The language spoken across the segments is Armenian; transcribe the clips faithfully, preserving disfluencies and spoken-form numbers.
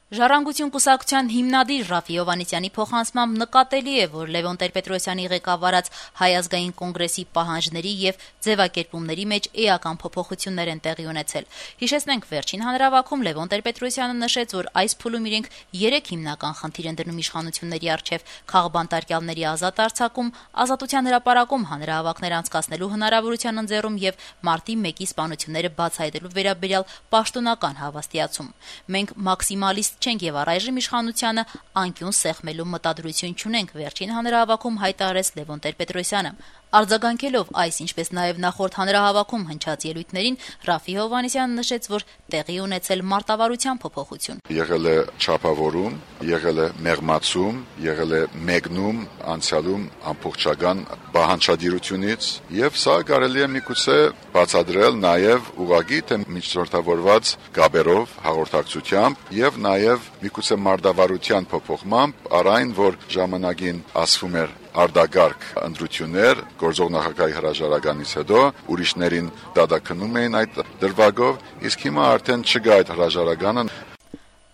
Ժառանգություն կուսակցության հիմնադիր Ռաֆֆի Հովհաննիսյանի փոխանցմամբ նկատելի է, որ Լևոն Տեր-Պետրոսյանի ղեկավարած Հայ ազգային կոնգրեսի պահանջների եւ ձեւակերպումների մեջ էական փոփոխություններ են տեղի ունեցել։ Հիշեցնենք, վերջին հանրահավաքում Լևոն Տեր-Պետրոսյանը նշեց, որ այս փուլում իրենք երեք հիմնական խնդիր են դնում իշխանությունների առջեւ՝ քաղբանտարկյալների ազատ արձակում, Ազատության հրապարակում հանրահավաքներ անցկացնելու հնարավորության ընձեռում եւ մարտի մեկի սպանությունները բացահայտելու վերաբերյալ պաշտոնական հավաստիացում։ Մենք մաքսիմալիստ չենք եւ առայժմ իշխանությանը անկյուն սեղմելու մտադրություն չունենք, վերջին հանրահավաքում հայտարարեց Լևոն Տեր-Պետրոսյանը։ Արձագանքելով այս, ինչպես նաեւ նախորդ հանրահավաքում հնչած ելույթներին, Ռաֆֆի Հովհաննիսյանը նշեց, որ տեղի ունեցել մարտավարության փոփոխություն։ Եղել է չափավորում, եղել է մեղմացում, եղել է մեկնում անցյալում ամբողջական բանջարդիրությունից եւ սա կարելի է միգուցե բացատրել նաեւ ուղղակի թե միջնորդավորված գաբերով, հաղորդակցությամբ եւ նաեւ միգուցե մարտավարության փոփոխմամբ առայն, որ ժամանակին ասվում էր արդագարգ ընտրություններ գործող նախագահի հրաժարականից հետո ուրիշներին դատաքննում էին այդ դրվագով, իսկ հիմա արդեն չկա այդ հրաժարականը։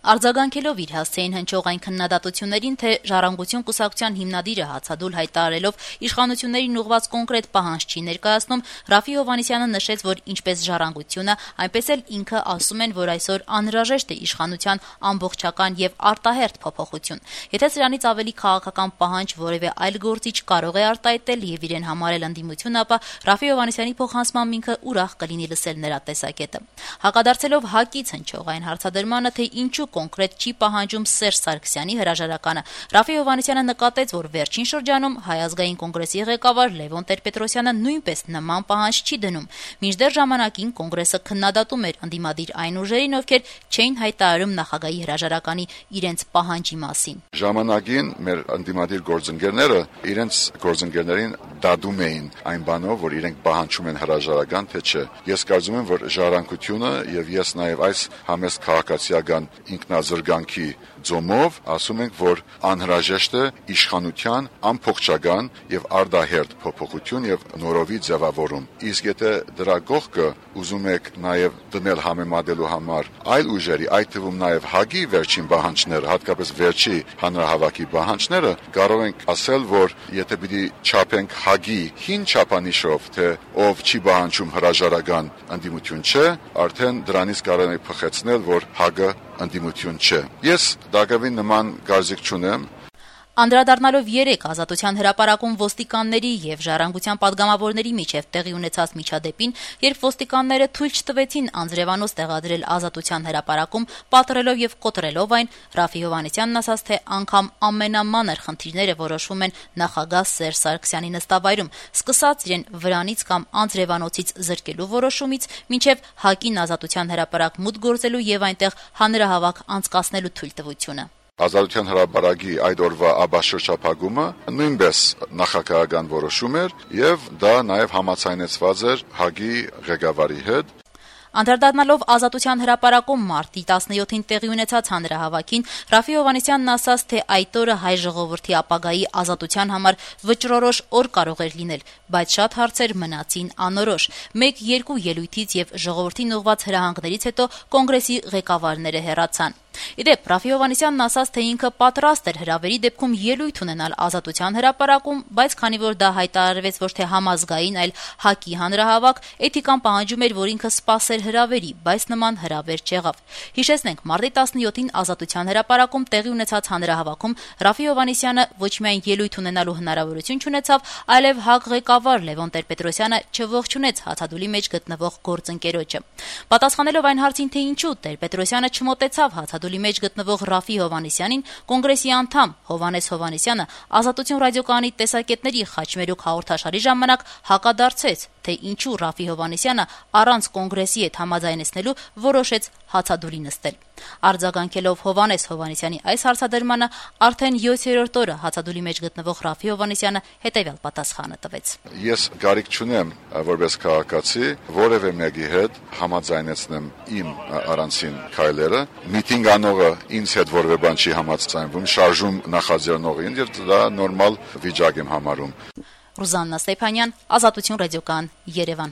Արձագանքելով իր հասցեին հնչող այն քննադատություններին, թե Ժառանգություն կուսակցության հիմնադիրը հացադուլ հայտարարելով իշխանություններին ուղղված կոնկրետ պահանջ չի ներկայացնում, Ռաֆֆի Հովհաննիսյանը նշեց, որ ինչպես Ժառանգությունը, այնպես էլ ինքը ասում են, որ այսօր անհրաժեշտ է իշխանության ամբողջական եւ արտահերթ փոփոխություն։ Եթե սրանից ավելի քաղաքական պահանջ որևէ այլ գործիչ կարող է արտահայտել եւ իրեն համարել ընդդիմություն, ապա Ռաֆֆի Հովհաննիսյանի փոխանցմամբ ինքը ուրախ կլինի լսել նրա տեսակետը։ Հակադարձելով ՀԱԿ-ից հնչող այն հարցադրմանը, թե ինչու կոնկրետ չի պահանջում Սերժ Սարգսյանի հրաժարականը, Ռաֆֆի Հովհաննիսյանը նկատեց, որ վերջին շրջանում Հայ ազգային կոնգրեսի ղեկավար Լևոն Տեր-Պետրոսյանը նույնպես նման պահանջ չի դնում։ Մինչդեռ ժամանակին կոնգրեսը քննադատում էր ընդդիմադիր այն ուժերին, ովքեր չէին հայտարարում նախագահի հրաժարականի իրենց պահանջի մասին։ Ժամանակին մեր ընդդիմադիր գործընկերները իրենց գործընկերներին դատում էին այն բանով, որ իրենք պահանջում են հրաժարական, թե չէ։ Ես կարծում եմ, որ Ժառանգությունը եւ ես նաեւ այս համեստ քաղաքացիական ինքնազրկանքի ձոմով ասում ենք, որ անհրաժեշտ է իշխանության ամբողջական եւ արդահերթ փոփոխություն եւ նորովի ձևավորում։ Իսկ եթե դրա կողքը ուզում եք նաեւ դնել համեմատելու համար այլ ուժերի, այդ թվում նաեւ ՀԱԿ-ի վերջին պահանջները, հատկապես վերջի հանրահավաքի պահանջները, կարող ենք ասել, որ եթե պիտի չափենք ՀԱԿ-ի հին չափանիշով, թե ով չի պահանջում հրաժարական ընդդիմություն չէ, արդեն դրանից կարող ենք փխեցնել, որ ՀԱԿ-ը ընդդիմություն չէ։ Ես դակավին նման կարծիք չունեմ։ Անդրադառնալով երեք Ազատության հրապարակում ոստիկանների եւ Ժառանգության падգամավորների միջև տեղի ունեցած միջադեպին, երբ ոստիկանները թույլ չտվեցին անձրևանոց տեղադրել Ազատության հրապարակում, պատռելով եւ կոտրելով այն, Ռաֆֆի Հովհաննիսյանն ասաց, թե անգամ ամենամանր խնդիրները որոշվում են նախագահ Սերժ Սարգսյանի նստավայրում, սկսած իրեն վրանից կամ անձրևանոցից զրկելու որոշումից, մինչեւ ՀԱԿ-ին Ազատության հրապարակ մուտք գործելու եւ այնտեղ հանրահավաք անցկացնելու թույլտվությունը։ Ազատության հրապարակի այդ օրվա աբաշրջափակումը նույնպես նախագահական որոշում էր եւ դա նաեւ համաձայնեցված էր ՀԱԿ-ի ղեկավարի հետ։ Անդրադառնալով Ազատության հրապարակում մարտի տասնյոթին տեղի ունեցած հանրահավաքին, Ռաֆֆի Հովհաննիսյանն ասաց, թե այդ օրը հայ ժողովրդի ապագայի ազատության համար վճռորոշ օր կարող էր լինել, բայց շատ հարցեր մնացին անորոշ։ Մեկ-երկու ելույթից եւ ժողովրդին ուղղված հրահանգներից հետո կոնգրեսի ղեկավարները հեռացան։ Իդեպ Ռաֆֆի Հովհաննիսյանն ասաց, թե ինքը պատրաստ էր հրավերի դեպքում ելույթ ունենալ Ազատության հրապարակում, բայց քանի որ դա հայտարարվեց ոչ թե համազգային, այլ ՀԱԿ-ի հանրահավաք, էթիկան պահանջում էր, որ ինքը սպասեր հրավերի, բայց նման հրավեր չեղավ։ Հիշեցնենք, մարտի տասնյոթին Ազատության հրապարակում տեղի ունեցած հանրահավաքում Ռաֆֆի Հովհաննիսյանը ոչ միայն ելույթ ունենալու հնարավորություն չունեցավ, այլև ՀԱԿ ղեկավար Լևոն Տեր-Պետրոսյանը չողջունեց հացադուլի մեջ գտնվող գործընկերոջը։ Պատասխանելով այն հարցին, թե ինչու Տեր-Պետրոսյանը չմոտեցավ հացադուլի մեջ գտնվող Ռաֆֆի Հովհաննիսյանին, կոնգրեսի անդամ Հովհաննես Հովհաննիսյանը Ազատություն ռադիոկայանի տեսակետների խաչմերուկ հաղորդաշարի ժամանակ հակադարձեց, թե ինչու Ռաֆֆի Հովհաննիսյանը առանց կոնգրեսի հետ համաձայնեցնելու որոշեց հացադուլի նստել։ Արձագանքելով Հովհաննես Հովհաննիսյանի այս հարցադրմանը, արդեն յոթերորդ օրը հացադուլի մեջ գտնվող Ռաֆֆի Հովհաննիսյանը հետևյալ պատասխանը տվեց. Ես կարիք չունեմ որպես քաղաքացի որևէ մեկի հետ համաձայնեցնեմ իմ առանցին քայլերը, միտինգ անողը ինձ հետ որևէ բան չի համաձայնվում, շարժում նախաձեռնողին, եւ դա նորմալ վիճակ եմ համարում։ Ռուզաննա Ստեփանյան, Ազատություն ռադիոկայան, Երևան։